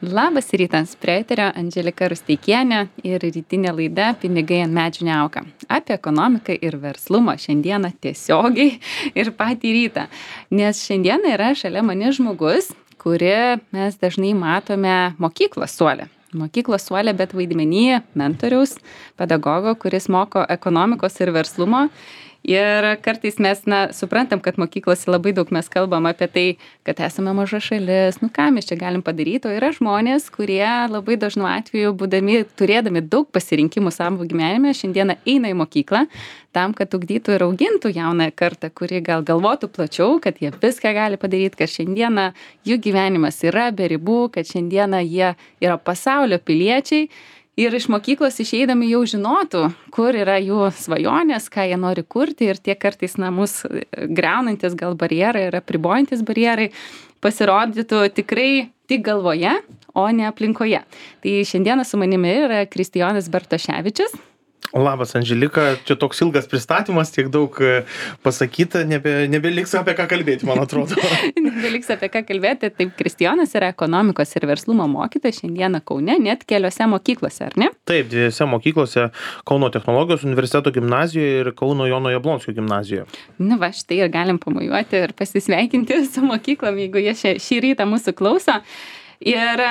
Labas rytas, prie eterio Andželika Rusteikienė ir rytinė laida Pinigai ant medžių neauga. Apie ekonomiką ir verslumą šiandieną tiesiogiai ir patį rytą. Nes šiandieną yra šalia mane žmogus, kurį mes dažnai matome mokyklos suole. Mokyklos suole, bet vaidmenyje mentoriaus, pedagogo, kuris moko ekonomikos ir verslumo. Ir kartais mes suprantam, kad mokyklose labai daug mes kalbam apie tai, kad esame maža šalis, ką mes čia galim padaryti, o yra žmonės, kurie labai dažnu atveju, turėdami daug pasirinkimų savo gyvenime, šiandieną eina į mokyklą tam, kad ugdytų ir augintų jaunąją kartą, kuri gal galvotų plačiau, kad jie viską gali padaryti, kad šiandieną jų gyvenimas yra be ribų, kad šiandieną jie yra pasaulio piliečiai. Ir iš mokyklos išeidami jau žinotų, kur yra jų svajonės, ką jie nori kurti ir tie kartais mus griaunantis gal barjerai ir apribojantis barjerai pasirodytų tikrai tik galvoje, o ne aplinkoje. Tai šiandieną su manimi yra Kristijonas Bartoševičius. Labas, Andželika, čia toks ilgas pristatymas, tiek daug pasakyta, nebeliks apie ką kalbėti, man atrodo. Nebeliks apie ką kalbėti, taip, Kristijonas yra ekonomikos ir verslumo mokytojas šiandieną Kaune, net keliose mokyklose, ar ne? Taip, dviejose mokyklose, Kauno technologijos universiteto gimnazijoje ir Kauno Jono Jablonskio gimnazijoje. Štai ir galim pamojuoti ir pasisveikinti su mokyklom, jeigu jie šį rytą mūsų klauso. Ir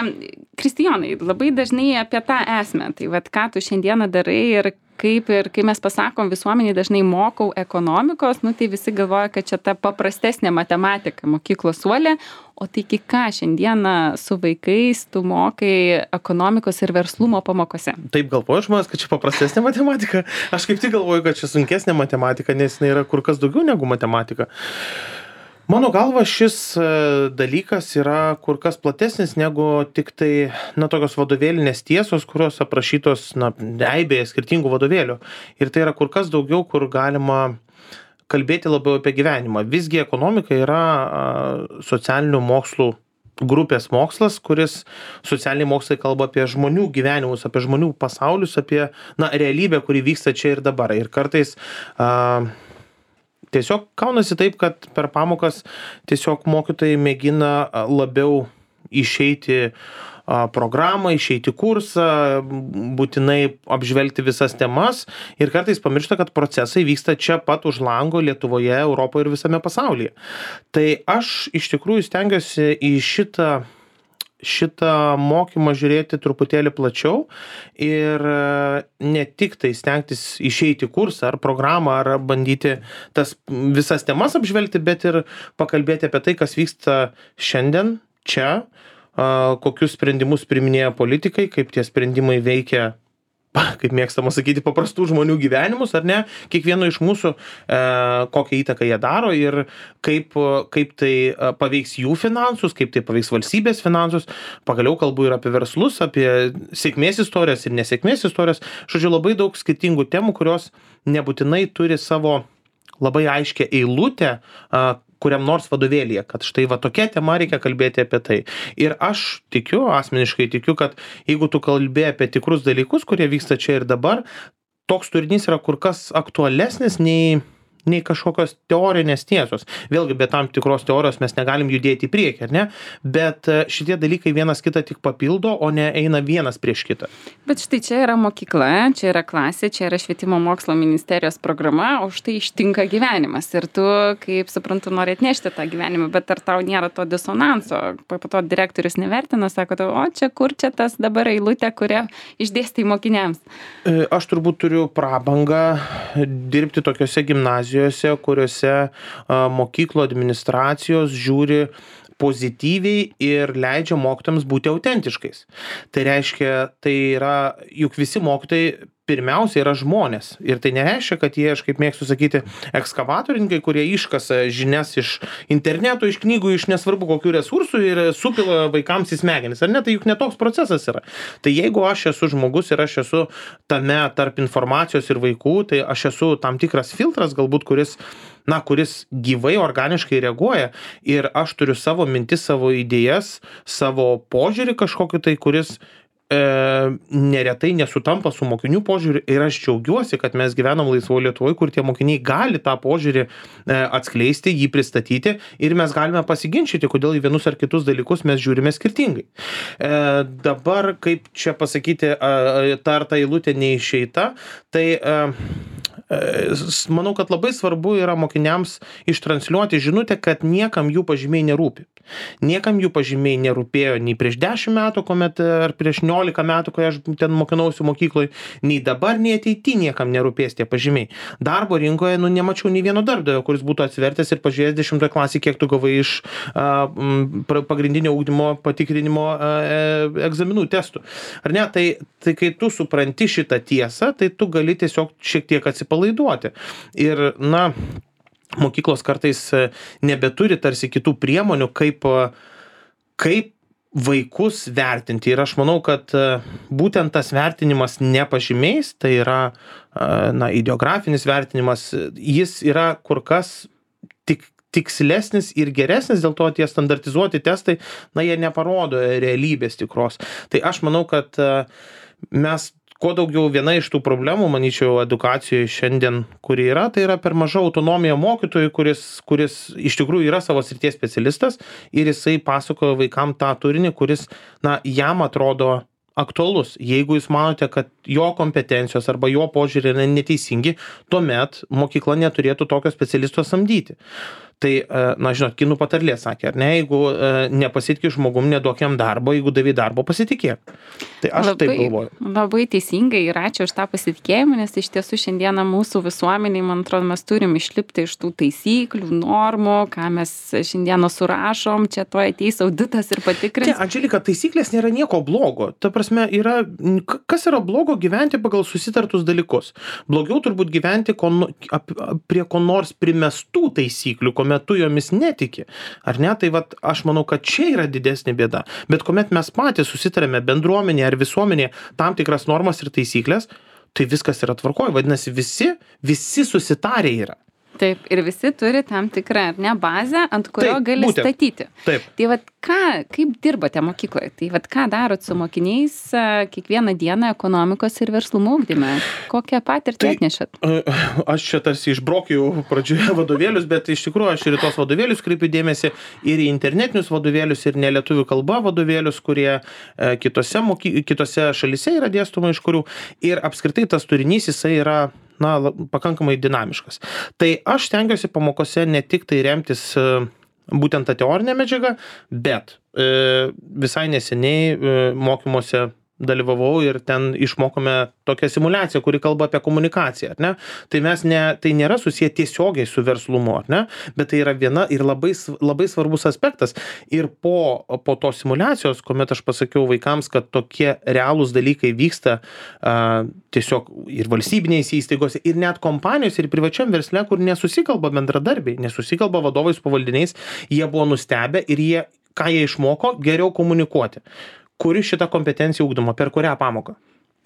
Kristijonai, labai dažnai apie tą esmę, tai ką tu šiandieną darai ir kai mes pasakom visuomeniai dažnai mokau ekonomikos, tai visi galvoja, kad čia ta paprastesnė matematika mokyklos suolė, o tai ką šiandieną su vaikais tu mokai ekonomikos ir verslumo pamokose? Taip galvoju žmonės, kad čia paprastesnė matematika. Aš kaip tik galvoju, kad čia sunkesnė matematika, nes jinai yra kur kas daugiau negu matematika. Mano galva, šis dalykas yra kur kas platesnis negu tik tai, tokios vadovėlinės tiesos, kurios aprašytos, eibėje skirtingų vadovėlių. Ir tai yra kur kas daugiau, kur galima kalbėti labiau apie gyvenimą. Visgi ekonomika yra socialinių mokslų grupės mokslas, kuris socialiniai mokslai kalba apie žmonių gyvenimus, apie žmonių pasaulius, apie realybę, kuri vyksta čia ir dabar. Ir kartais tiesiog kaunasi taip, kad per pamokas tiesiog mokytojai mėgina labiau išeiti programą, išeiti kursą, būtinai apžvelgti visas temas ir kartais pamiršta, kad procesai vyksta čia pat už lango Lietuvoje, Europoje ir visame pasaulyje. Tai aš iš tikrųjų stengiuosi į šitą mokymą žiūrėti truputėlį plačiau ir ne tik tai stengtis išeiti kursą ar programą ar bandyti tas visas temas apžvelgti, bet ir pakalbėti apie tai, kas vyksta šiandien, čia, kokius sprendimus priiminėja politikai, kaip tie sprendimai veikia, kaip mėgstama sakyti, paprastų žmonių gyvenimus, ar ne, kiekvieno iš mūsų, kokią įtaką jie daro ir kaip tai paveiks jų finansus, kaip tai paveiks valstybės finansus. Pagaliau kalbu ir apie verslus, apie sėkmės istorijas ir nesėkmės istorijas. Žodžiu, labai daug skirtingų temų, kurios nebūtinai turi savo labai aiškę eilutę, kuriam nors vadovėlyje, kad štai tokia tema reikia kalbėti apie tai. Ir aš asmeniškai tikiu, kad jeigu tu kalbė apie tikrus dalykus, kurie vyksta čia ir dabar, toks turinys yra kur kas aktualesnis nei kažkokios teorinės tiesos. Vėlgi, be tam tikros teorijos mes negalim judėti į priekį, ar ne? Bet šitie dalykai vienas kitą tik papildo, o ne eina vienas prieš kitą. Bet štai čia yra mokykla, čia yra klasė, čia yra švietimo mokslo ministerijos programa, o štai ištinka gyvenimas. Ir tu, kaip suprantu, nori atnešti tą gyvenimą, bet ar tau nėra to disonanso? Po to direktorius nevertina, sako, kur čia tas dabar eilutė, kurią išdėstai mokiniams? Aš turbūt turiu prabangą dirbti tokiose gimnazijose, kuriuose mokyklų administracijos žiūri pozityviai ir leidžia mokytojams būti autentiškais. Tai reiškia, tai yra, juk visi mokytojai pirmiausia yra žmonės. Ir tai nereiškia, kad jie, aš kaip mėgstu sakyti, ekskavatorininkai, kurie iškasa žinias iš interneto, iš knygų, iš nesvarbu kokių resursų ir supila vaikams į smegenis. Ar ne? Tai juk netoks procesas yra. Tai jeigu aš esu žmogus ir aš esu tame tarp informacijos ir vaikų, tai aš esu tam tikras filtras, galbūt kuris gyvai, organiškai reaguoja ir aš turiu savo mintis, savo idėjas, savo požiūrį kažkokį tai, kuris neretai nesutampa su mokinių požiūriu ir aš džiaugiuosi, kad mes gyvenam laisvoje Lietuvoje, kur tie mokiniai gali tą požiūrį atskleisti, jį pristatyti ir mes galime pasiginčyti, kodėl į vienus ar kitus dalykus mes žiūrime skirtingai. Dabar, kaip čia pasakyti, ta eilutė neišeita, tai manau, kad labai svarbu yra mokiniams ištransliuoti žinutę, kad niekam jų pažymiai nerūpi. Niekam jų pažymiai nerūpėjo nei prieš 10 metų, kuomet, ar prieš 11 metų, kai aš ten mokinausi mokykloje, nei dabar, nei ateityje niekam nerūpės tie pažymiai. Darbo rinkoje, nemačiau nei vieno darbdavio, kuris būtų atsivertęs ir pažiūrėjęs 10 klasį, kiek tu gavai iš pagrindinio ugdymo patikrinimo egzaminų testų. Ar ne? Tai kai tu supranti šitą tiesą, tai tu gali tiesiog šiek tiek atsipalaiduoti. Ir, mokyklos kartais nebeturi tarsi kitų priemonių, kaip vaikus vertinti. Ir aš manau, kad būtent tas vertinimas ne pažymiais, tai yra ideografinis vertinimas, jis yra kur kas tikslesnis ir geresnis, dėl to tie standartizuoti testai, jie neparodo realybės tikros. Tai aš manau, kad mes kuo daugiau viena iš tų problemų, manyčiau, edukacijoje šiandien, kuri yra, tai yra per maža autonomija mokytojui, kuris iš tikrųjų yra savo srities specialistas ir jisai pasakoja vaikam tą turinį, kuris, jam atrodo aktualus. Jeigu jūs manote, kad jo kompetencijos arba jo požiūrį yra neteisingi, tuomet mokykla neturėtų tokio specialisto samdyti. Tai, žinot, kinų patarlė sakė, ar ne, jeigu nepasitikė žmogum, neduok jam darbo, jeigu davai darbo, pasitikėk. Tai aš taip galvoju. Labai teisingai ir ačiū už tą pasitikėjimą, nes iš tiesų šiandieną mūsų visuomeniai, man atrodo, mes turim išlipti iš tų taisyklių, normų, ką mes šiandieną surašom, čia to ateis auditas ir patikrins. Andželika, taisyklės nėra nieko blogo. Ta prasme, kas yra blogo gyventi pagal susitartus dalykus? Blogiau turbūt gyventi prie ko nors primestų taisyklių, kuomet tu jomis netiki. Ar ne? Tai aš manau, kad čia yra didesnė bėda. Bet kuomet mes patys susitarėme bendruomenėje ar visuomenėje tam tikras normas ir taisyklės, tai viskas yra tvarkoj. Vadinasi, visi susitarę yra. Taip, ir visi turi tam tikrą, bazę, ant kurio gali statyti. Taip. Tai kaip dirbate mokykloje? Tai ką darot su mokiniais kiekvieną dieną ekonomikos ir verslumo ugdyme? Kokią patirtį atnešat? Aš čia tarsi išbraukiau pradžioje vadovėlius, bet iš tikrųjų aš ir į tos vadovėlius kreipiu dėmesį ir į internetinius vadovėlius, ir nelietuvių kalba vadovėlius, kurie kitose šalyse yra dėstoma iš kurių. Ir apskritai tas turinys jisai yra pakankamai dinamiškas. Tai aš stengiuosi pamokose ne tik tai remtis būtent tą teorinę medžiagą, bet visai neseniai mokymuose dalyvavau ir ten išmokome tokią simuliaciją, kuri kalba apie komunikaciją, ar ne? Tai nėra susiję tiesiogiai su verslumu, ar ne? Bet tai yra viena ir labai svarbus aspektas. Ir po tos simuliacijos, kuomet aš pasakiau vaikams, kad tokie realūs dalykai vyksta tiesiog ir valstybinėse įstaigose, ir net kompanijos, ir privačiam versle, kur nesusikalba bendradarbiai, nesusikalba vadovai su pavaldiniais, jie buvo nustebę ir ką jie išmoko, geriau komunikuoti. Kuri šita kompetencija ugdoma, per kurią pamoką?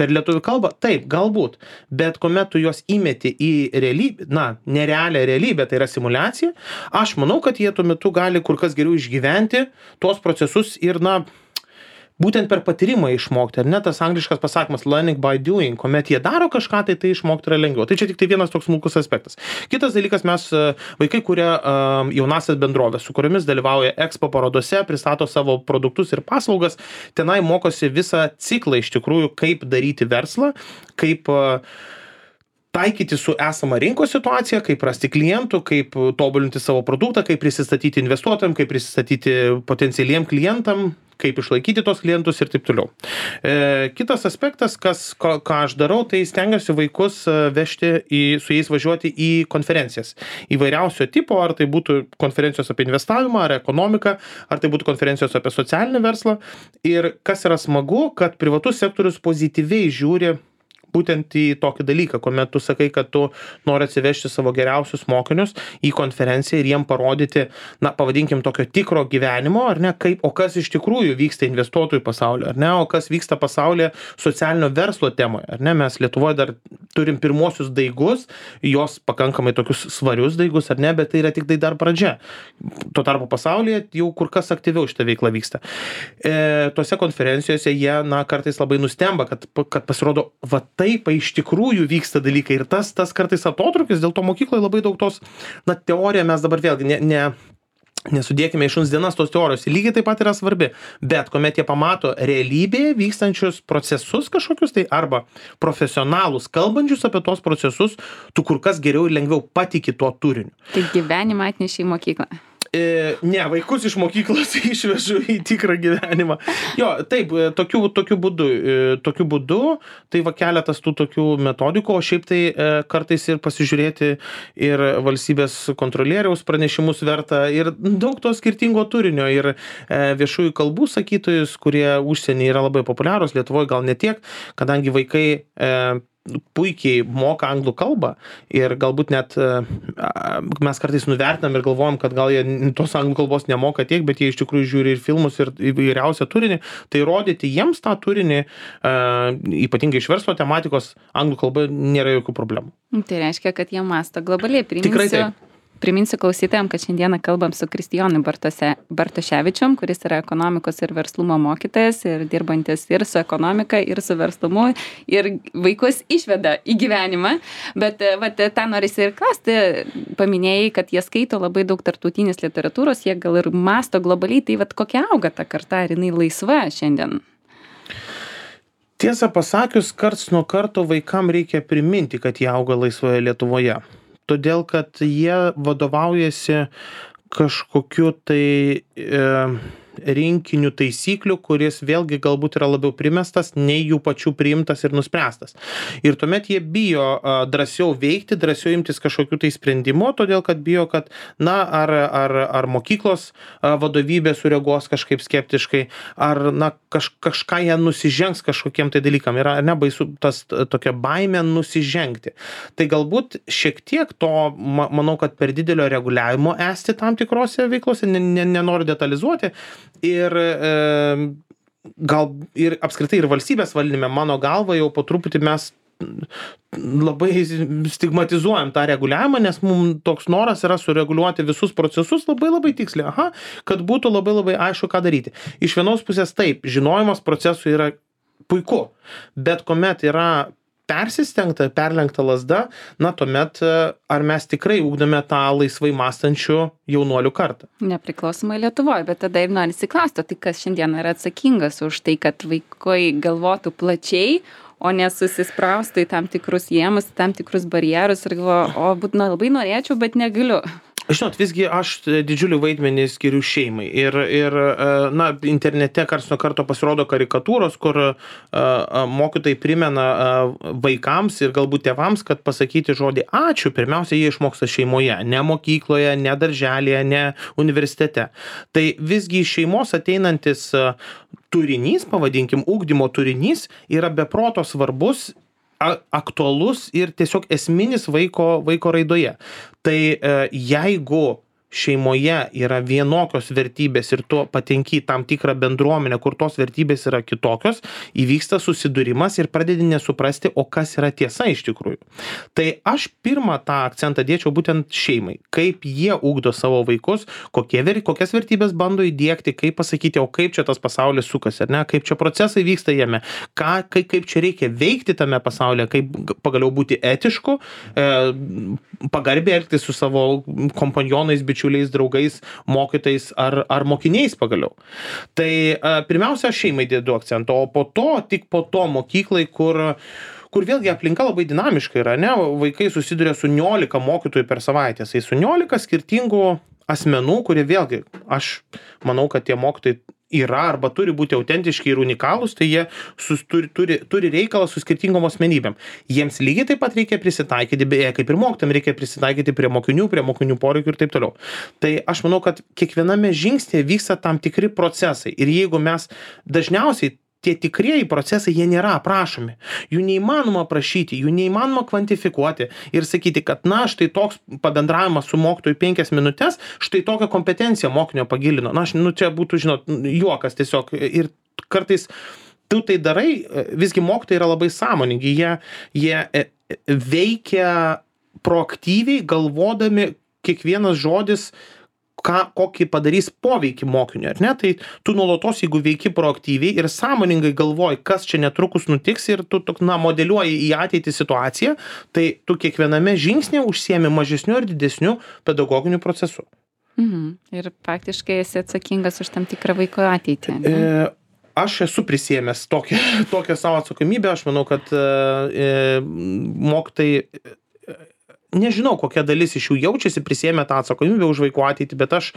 Per lietuvių kalbą? Taip, galbūt. Bet kuomet tu juos įmeti į realybę, nerealią realybę, tai yra simuliacija, aš manau, kad jie tuo metu gali kur kas geriau išgyventi tuos procesus ir, būtent per patyrimą išmokti, ar ne, tas angliškas pasakymas learning by doing, kuomet jie daro kažką, tai išmokti yra lengviau. Tai čia tik tai vienas toks smulkus aspektas. Kitas dalykas, vaikai kuria jaunasias bendrovės, su kuriomis dalyvauja Expo parodose, pristato savo produktus ir paslaugas, tenai mokosi visą ciklą iš tikrųjų, kaip daryti verslą, kaip taikyti su esama rinkos situacija, kaip rasti klientų, kaip tobulinti savo produktą, kaip prisistatyti investuotojams, kaip prisistatyti potencialiem klientam, kaip išlaikyti tos klientus ir taip toliau. Kitas aspektas, ką aš darau, tai stengiuosi vaikus vežti, su jais važiuoti į konferencijas. Įvairiausio tipo, ar tai būtų konferencijos apie investavimą, ar ekonomiką, ar tai būtų konferencijos apie socialinį verslą. Ir kas yra smagu, kad privatus sektorius pozityviai žiūri būtent į tokį dalyką, kuomet tu sakai, kad tu nori atsivežti savo geriausius mokinius į konferenciją ir jiem parodyti, na, pavadinkim, tokio tikro gyvenimo, ar ne, kaip, o kas iš tikrųjų vyksta investuotojų pasaulyje, ar ne, o kas vyksta pasaulyje socialinio verslo temoje, ar ne, mes Lietuvoje dar turim pirmosius daigus, jos pakankamai tokius svarius daigus, ar ne, bet tai yra tik tai dar pradžia. Tuo tarpu pasaulyje jau kur kas aktyviau šita veikla vyksta. Tuose konferencijose jie, na, kartais labai nustemba, kad pasirodo, va taip iš tikrųjų vyksta dalykai ir tas kartais atotrūkis, dėl to mokykloje labai daug tos, na, teorija mes dabar vėlgi nesudėkime į šuns dienas tos teorijos, lygiai taip pat yra svarbi, bet kuomet jie pamato realybėje vykstančius procesus kažkokius, tai arba profesionalus kalbančius apie tos procesus, tu kur kas geriau ir lengviau patiki tuo turiniu. Tai gyvenimą atnešė į mokyklą. Ne, vaikus iš mokyklos išvežu į tikrą gyvenimą. Jo, taip, tokiu būdu, tai va keletas tų tokių metodikų, o šiaip tai kartais ir pasižiūrėti ir valstybės kontrolieriaus pranešimus verta ir daug to skirtingo turinio ir viešųjų kalbų sakytojus, kurie užsienį yra labai populiarūs, Lietuvoje gal ne tiek, kadangi vaikai puikiai moka anglų kalbą ir galbūt net mes kartais nuvertinam ir galvojam, kad gal jie tos anglų kalbos nemoka tiek, bet jie iš tikrųjų žiūri ir filmus ir įvairiausią turinį, tai rodyti jiems tą turinį, ypatingai iš verslo tematikos, anglų kalba nėra jokių problemų. Tai reiškia, kad jie mąsto globaliai. Tikrai taip. Priminsiu klausytojams, kad šiandieną kalbam su Kristijonu Bartoševičium, kuris yra ekonomikos ir verslumo mokytojas ir dirbantis ir su ekonomika, ir su verslumu, ir vaikus išveda į gyvenimą. Bet tą norisi ir klausti, paminėjai, kad jie skaito labai daug tarptautinės literatūros, jie gal ir mąsto globaliai, tai kokia auga ta karta, ar jinai laisva šiandien? Tiesą pasakius, karts nuo karto vaikam reikia priminti, kad jie auga laisvoje Lietuvoje. Todėl, kad jie vadovaujasi kažkokiu tai rinkiniu taisyklių, kuris vėlgi galbūt yra labiau primestas, nei jų pačių priimtas ir nuspręstas. Ir tuomet jie bijo drąsiau veikti, drąsiau imtis kažkokių tai sprendimų, todėl kad bijo, kad, na, ar mokyklos vadovybė sureaguos kažkaip skeptiškai, ar, na, kažką jie nusižengs kažkokiem tai dalykam. Yra nebaisu tas tokia baimė nusižengti. Tai galbūt šiek tiek to, manau, kad per didelio reguliavimo esti tam tikrose veiklose, nenoriu detalizuoti, ir gal ir apskritai ir valstybės valdyme, mano galva, jau po truputį mes labai stigmatizuojam tą reguliavimą, nes mums toks noras yra sureguliuoti visus procesus labai tiksliai, kad būtų labai aišku, ką daryti. Iš vienos pusės taip, žinojimas procesų yra puiku, bet kuomet yra persistengta, perlenkta lazda, na, tuomet ar mes tikrai ugdome tą laisvai mąstančių jaunuolių kartą? Nepriklausomai Lietuvoje, bet tada ir norisi klausti, tai kas šiandien yra atsakingas už tai, kad vaikai galvotų plačiai, o nesusispraustų į tam tikrus jėmus, tam tikrus barjerus ir galvoju, labai norėčiau, bet negaliu. Žinot, visgi aš didžiulį vaidmenį skiriu šeimai ir na, internete karts nuo karto pasirodo karikatūros, kur mokytojai primena vaikams ir galbūt tėvams, kad pasakyti žodį ačiū, pirmiausia, jie išmoksta šeimoje, ne mokykloje, ne darželėje, ne universitete. Tai visgi iš šeimos ateinantis turinys, pavadinkim, ugdymo turinys, yra beproto svarbus, aktualus ir tiesiog esminis vaiko raidoje. Tai jeigu šeimoje yra vienokios vertybės ir tu patenki į tam tikrą bendruomenę, kur tos vertybės yra kitokios, įvyksta susidūrimas ir pradedi nesuprasti, o kas yra tiesa iš tikrųjų. Tai aš pirmą tą akcentą dėčiau būtent šeimai. Kaip jie ugdo savo vaikus, kokias vertybės bando įdiegti, kaip pasakyti, o kaip čia tas pasaulis sukasi, ar ne, kaip čia procesai vyksta jame, kaip čia reikia veikti tame pasaulyje, kaip pagaliau būti etišku, pagarbiai elgtis su savo kompanionais, bičiuliais, draugais, mokytais ar mokiniais pagaliau. Tai pirmiausia, aš šeimai dėdu akcentą, o po to, tik po to mokyklai, kur vėlgi aplinka labai dinamiška yra, ne, vaikai susiduria su 19 mokytojų per savaitę, tai su 19 skirtingų asmenų, kurie vėlgi, aš manau, kad tie mokytojai yra arba turi būti autentiški ir unikalūs, tai jie turi reikalą su skirtingom asmenybėm. Jiems lygiai taip pat reikia prisitaikyti, beje, kaip ir mokytojams reikia prisitaikyti prie mokinių poreikių ir taip toliau. Tai aš manau, kad kiekviename žingsnėje vyksta tam tikri procesai ir jeigu mes dažniausiai tie tikrieji procesai, jie nėra aprašomi. Jų neįmanoma aprašyti, jų neįmanoma kvantifikuoti ir sakyti, kad na, štai toks pabendravimas su mokytoju 5 minutes, štai tokią kompetenciją mokinio pagilino. Na, čia būtų, žinot, juokas tiesiog. Ir kartais tu tai darai, visgi mokytojai yra labai sąmoningi, jie veikia proaktyviai, galvodami kiekvienas žodis, kokį padarys poveikį mokiniui, ar ne? Tai tu nuolatos, jeigu veiki proaktyviai ir sąmoningai galvoji, kas čia netrukus nutiks ir tu modeliuoji į ateitį situaciją, tai tu kiekviename žingsnėje užsiemi mažesniu ir didesniu pedagoginiu procesu. Ir faktiškai esi atsakingas už tam tikrą vaiko ateitį. Aš esu prisėmęs tokią savo atsakomybę, aš manau, kad mokytojai, nežinau, kokia dalis iš jų jaučiasi, prisėmė tą atsakomybę už vaikų ateitį, bet aš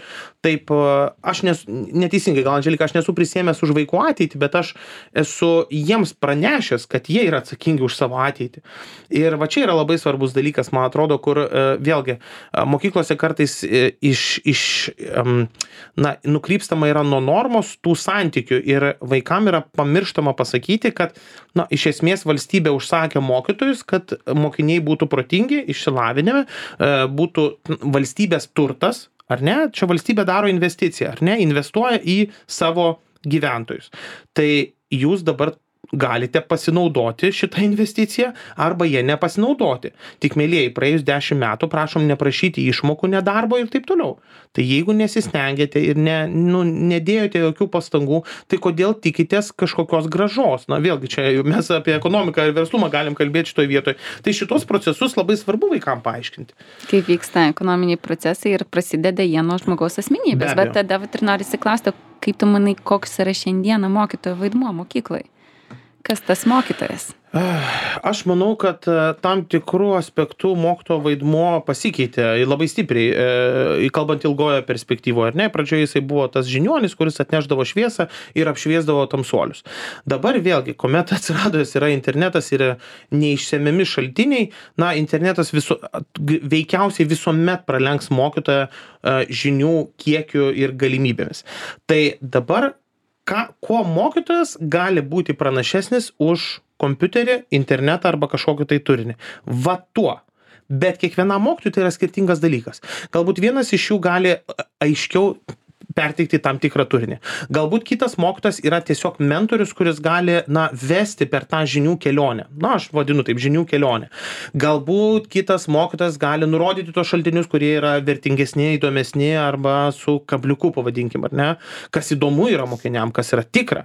neteisingai, gal Andželika, aš nesu prisėmęs už vaikų ateitį, bet aš esu jiems pranešęs, kad jie yra atsakingi už savo ateitį. Ir va čia yra labai svarbus dalykas, man atrodo, kur vėlgi mokyklose kartais nukrypstama yra nuo normos tų santykių ir vaikam yra pamirštama pasakyti, kad iš esmės valstybė užsakė mokytojus, kad mokiniai būtų protingi, išsilavinę, būtų valstybės turtas, ar ne? Čia valstybė daro investiciją, ar ne? Investuoja į savo gyventojus. Tai jūs dabar galite pasinaudoti šitą investiciją arba jie nepasinaudoti. Tik, mielieji, praėjus 10 metų prašom neprašyti išmokų nedarbo ir taip toliau. Tai jeigu nesistengėte ir nedėjote jokių pastangų, tai kodėl tikitės kažkokios grąžos? Na vėlgi, čia mes apie ekonomiką ir verslumą galim kalbėti šitoje vietoje. Tai šitos procesus labai svarbu vaikam paaiškinti. Kaip vyksta ekonominiai procesai ir prasideda jie nuo žmogaus asmenybės. Bet tada ir norisi klausti, kaip tu manai, koks yra šiandieną mokytojo vaidmuo mokykloje? Kas tas mokytojas? Aš manau, kad tam tikrų aspektų mokytojo vaidmuo pasikeitė labai stipriai, kalbant ilgoje perspektyvoje, ar ne? Pradžioje jisai buvo tas žiniuonis, kuris atnešdavo šviesą ir apšviesdavo tamsuolius. Dabar vėlgi, kuomet atsiradęs yra internetas ir neišsemiami šaltiniai, internetas veikiausiai visuomet pralenks mokytoją žinių kiekiu ir galimybėmis. Tai dabar kuo mokytojas gali būti pranašesnis už kompiuterį, internetą arba kažkokį tai turinį. Va tuo. Bet kiekvienam mokytojui tai yra skirtingas dalykas. Galbūt vienas iš jų gali aiškiau perteikti tam tikrą turinį. Galbūt kitas mokytojas yra tiesiog mentorius, kuris gali, vesti per tą žinių kelionę. Aš vadinu taip, žinių kelionę. Galbūt kitas mokytojas gali nurodyti tos šaltinius, kurie yra vertingesni, įdomesni arba su kabliuku, pavadinkim, ar ne? Kas įdomu yra mokiniam, kas yra tikra.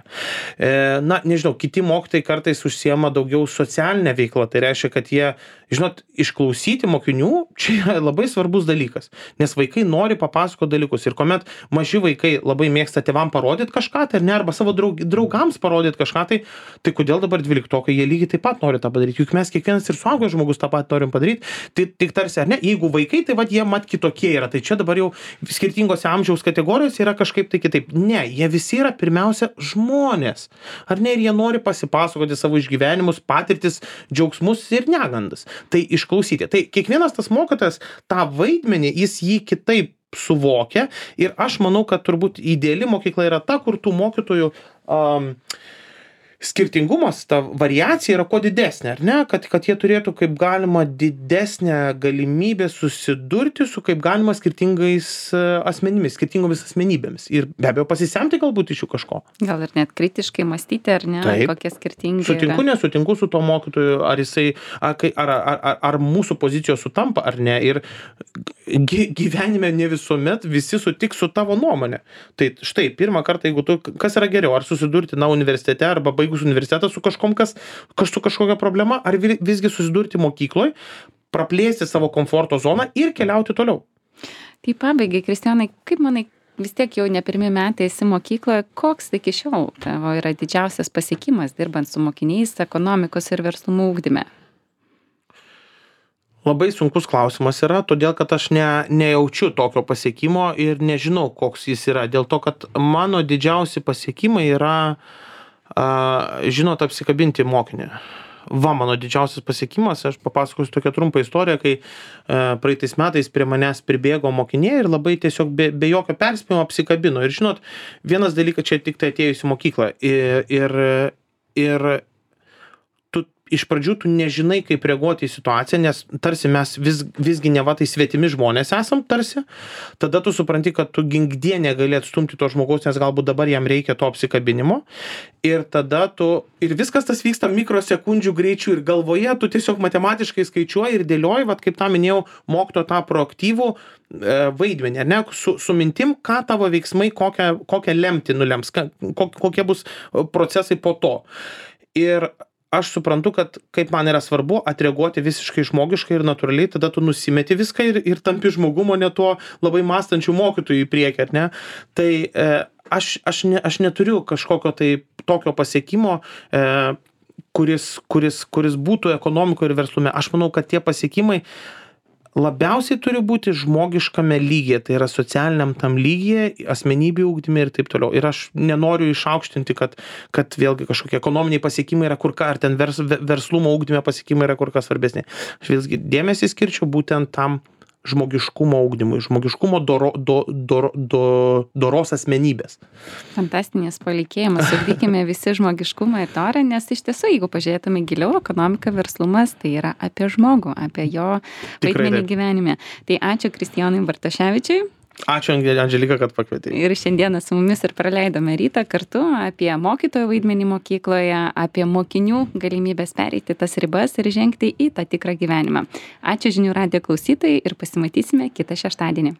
Nežinau, kiti mokytojai kartais užsiema daugiau socialinę veiklą. Tai reiškia, kad jie, išklausyti mokinių, čia yra labai svarbus dalykas. Nes vaikai nori papasakoti dalykus. Ir kuomet maži vaikai labai mėgsta tėvam parodyti kažką, tai ar ne, arba savo draugams parodyti kažką, tai kodėl dabar 12-okai, jie lygiai taip pat nori tą padaryti. Juk mes kiekvienas ir suaugęs žmogus tą pat norim padaryti. Tai tik tarsi, ar ne, jeigu vaikai, tai jie kitokie yra. Tai čia dabar jau skirtingose amžiaus kategorijose yra kažkaip tai kitaip. Ne, jie visi yra pirmiausia žmonės. Ar ne, ir jie nori pasipasakoti savo išgyvenimus, patirtis, džiaugsmus ir negandas. Tai išklausyti. Tai kiekvienas tas mokytojas tą vaidmenį, jis jį kitaip suvokia ir aš manau, kad turbūt ideali mokykla yra ta, kur tų mokytojų skirtingumas, ta variacija yra kuo didesnė, ar ne? Kad jie turėtų kaip galima didesnę galimybę susidurti su kaip galima skirtingomis asmenybėmis. Ir be abejo pasisemti galbūt iš jų kažko. Gal ir net kritiškai mąstyti, ar ne? Taip. Kokie skirtingi Sutinku, nesutinku su to mokytoju, ar mūsų pozicijos sutampa, ar ne. Ir gyvenime ne visuomet visi sutiks su tavo nuomonė. Tai štai, pirmą kartą, jeigu kas yra geriau, ar susidurti universitete, arba baigus universitetą su su kažkokia problema, ar visgi susidurti mokykloje, praplėsti savo komforto zoną ir keliauti toliau. Tai pabaigai, Kristijonai, kaip manai, vis tiek jau ne pirmi metai esi mokykloje, koks iki šiol tavo yra didžiausias pasiekimas dirbant su mokiniais ekonomikos ir verslumo ugdyme? Labai sunkus klausimas yra, todėl kad aš nejaučiu tokio pasiekimo ir nežinau, koks jis yra. Dėl to, kad mano didžiausi pasiekimai yra, apsikabinti mokinį. Va, mano didžiausias pasiekimas, aš papasakosiu tokią trumpą istoriją, kai praeitais metais prie manęs pribėgo mokiniai ir labai tiesiog be jokio perspėjimo apsikabino. Ir žinot, vienas dalykas čia tik tai atėjus į mokyklą. Ir tu iš pradžių tu nežinai, kaip reaguoti į situaciją, nes tarsi mes visgi neva tai svetimi žmonės esam tarsi. Tada tu supranti, kad tu ginkdie negali atstumti to žmogaus, nes galbūt dabar jam reikia to apsikabinimo. Ir tada ir viskas tas vyksta mikrosekundžių greičiu ir galvoje tu tiesiog matematiškai skaičiuoji ir dėlioji, vat kaip tą minėjau, mokytojo tą proaktyvų vaidmenį, ar ne, su mintim, ką tavo veiksmai, kokią lemtį nulems, kokie bus procesai po to. Ir aš suprantu, kad kaip man yra svarbu atreaguoti visiškai žmogiškai ir natūraliai, tada tu nusimeti viską ir tampi žmogumo, ne tuo labai mąstančių mokytojų į priekį, ar ne? Tai aš neturiu kažkokio tai tokio pasiekimo, kuris būtų ekonomikoje ir verslume. Aš manau, kad tie pasiekimai labiausiai turi būti žmogiškame lygyje, tai yra socialiniam tam lygyje, asmenybių ugdyme ir taip toliau. Ir aš nenoriu išaukštinti, kad vėlgi kažkokie ekonominiai pasiekimai yra ar ten verslumo ugdyme pasiekimai yra kur kas svarbesni. Aš vėlgi dėmesį skirčiau būtent tam žmogiškumo ugdymui, žmogiškumo doros asmenybės. Fantastinės palinkėjimas, ugdykime visi žmogiškumą ir dorą, nes iš tiesų, jeigu pažiūrėtume giliau, ekonomika, verslumas, tai yra apie žmogų, apie jo vaidmenį gyvenime. Tai ačiū Kristijonui Bartoševičiui. Ačiū, Andželika, kad pakvietei. Ir šiandieną su mumis ir praleidome rytą kartu apie mokytojo vaidmenį mokykloje, apie mokinių galimybės pereiti tas ribas ir žengti į tą tikrą gyvenimą. Ačiū žinių radijo klausytojai ir pasimatysime kitą šeštadienį.